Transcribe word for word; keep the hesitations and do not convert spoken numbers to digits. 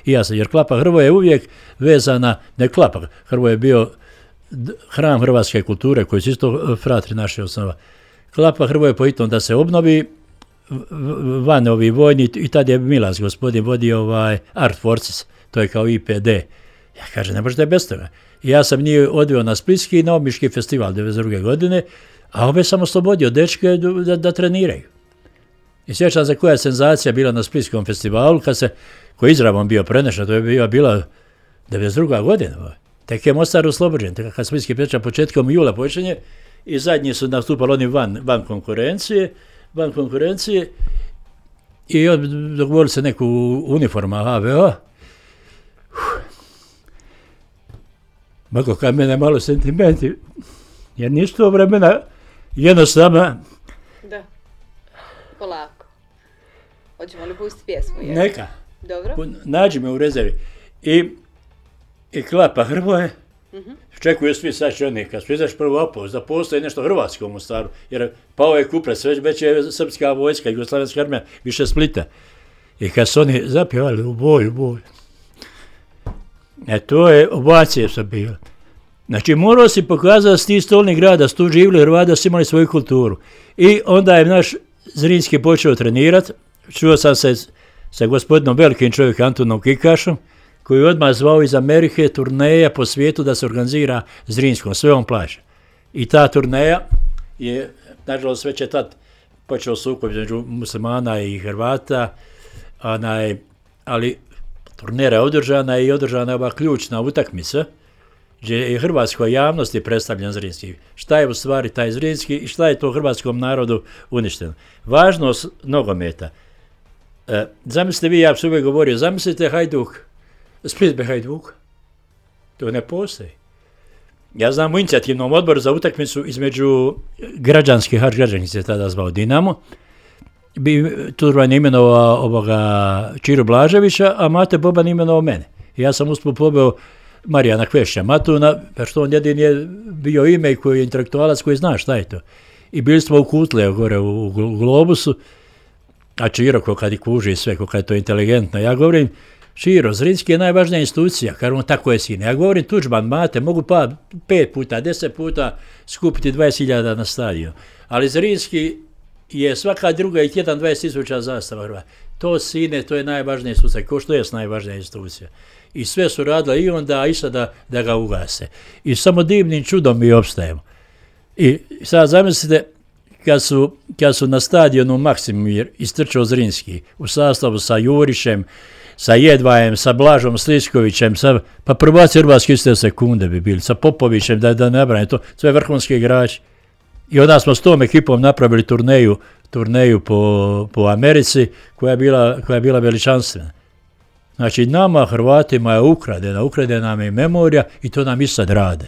I ja sam, jer Klapa Hrvoje je uvijek vezana, ne Klapa, Hrvoje je bio hram hrvatske kulture koji su isto fratri naše osnova. Klapa Hrvoje po itom da se obnovi van ovi vojni i tad je Milas gospodin vodio ovaj Art Forces, to je kao I P D. Ja kažem, ne možete bez toga. I ja sam njih odveo na Splitski i na Omiški festival devedeset druge godine, a ove sam oslobodio dečke da, da treniraju. I sjećam se koja je senzacija bila na Splitskom festivalu, kad se, koji je izravom bio prenešen, to je bila, bila devedeset druga godina. Tek je Mostar oslobođen, tek kad Splitski peča početkom jula počinje i zadnji su nastupali oni van, van konkurencije, van konkurencije i dogovorili se neku uniforma H V O. Mako kad mene malo sentimenti, jer nisu to vremena jednostavno. Da, polako. Hoćemo li pustiti pjesmu? Je? Neka. Dobro. Nađi me u rezervi. I, i Klapa Hrvoje, uh-huh. Čekuju svi sad će oni, kad su izaš prvo opoz, da postoji nešto hrvatsko u Mostaru, jer pao je Kupres, već, već je srpska vojska, jugoslavenska armija, više Splita. I kad su oni zapjevali u boj, u boj. E to je, ovacije su bile. Znači morao si pokazati da si ti stolni grad, da su tu živjeli Hrvati, da su imali svoju kulturu. I onda je naš Zrinski počeo trenirati, čuo sam se sa gospodinom velikim čovjekom Antonom Kikašom, koji je odmah zvao iz Amerike turneja po svijetu da se organizira Zrinskom, sve on plaća. I ta turneja je, nažalost, već je tad počeo sukob između muslimana i Hrvata, onaj, ali turnera je održana i održana je ova ključna utakmica, gdje je hrvatskoj javnosti predstavljen Zrinski. Šta je u stvari taj Zrinski i šta je to hrvatskom narodu uništeno. Važnost nogometa. E, zamislite vi, ja sam uvijek govorio, zamislite Hajduk, Split be Hajduk. To ne postoji. Ja znam u inicijativnom odboru za utakmicu između građanski, Hač građanski se tada zvao Dinamo, bi Turban imenovao ovoga Čiru Blaževića, a Mate Boban imenovao mene. I ja sam usput pobeo Marijana Kvešća Matuna, pa što on jedin je bio ime koji je intelektualac koji zna šta je to. I bili smo u Kutle, gore u, u Globusu, a Čiro ko kad i kuži sve, ko kad je to inteligentno. Ja govorim, Čiro, Zrinski je najvažnija institucija, kad on tako je sine. Ja govorim, Tuđman, Mate, mogu pa pet puta, deset puta skupiti dvadeset hiljada na stadion. Ali Zrinski je svaka druga i tjedan dvadeset tisuća zastava Hrvata. To sine, to je najvažnija institucija, ko što je najvažnija institucija. I sve su radile i onda, a i sada da ga ugase. I samo divnim čudom mi opstajemo. I sad zamislite, kad su, kad su na stadionu Maksimir istrčao Zrinski u sastavu sa Jurišem, sa Jedvajem, sa Blažom Sliskovićem, sa, pa prvaci hrvatski iste sekunde bi bili, sa Popovićem, da, da ne brane, to sve vrhunski igrači. I onda smo s tom ekipom napravili turneju, turneju po, po Americi, koja je bila, koja je bila veličanstvena. Znači nama, Hrvatima, je ukradena, ukradena nam je memorija i to nam i sad rade.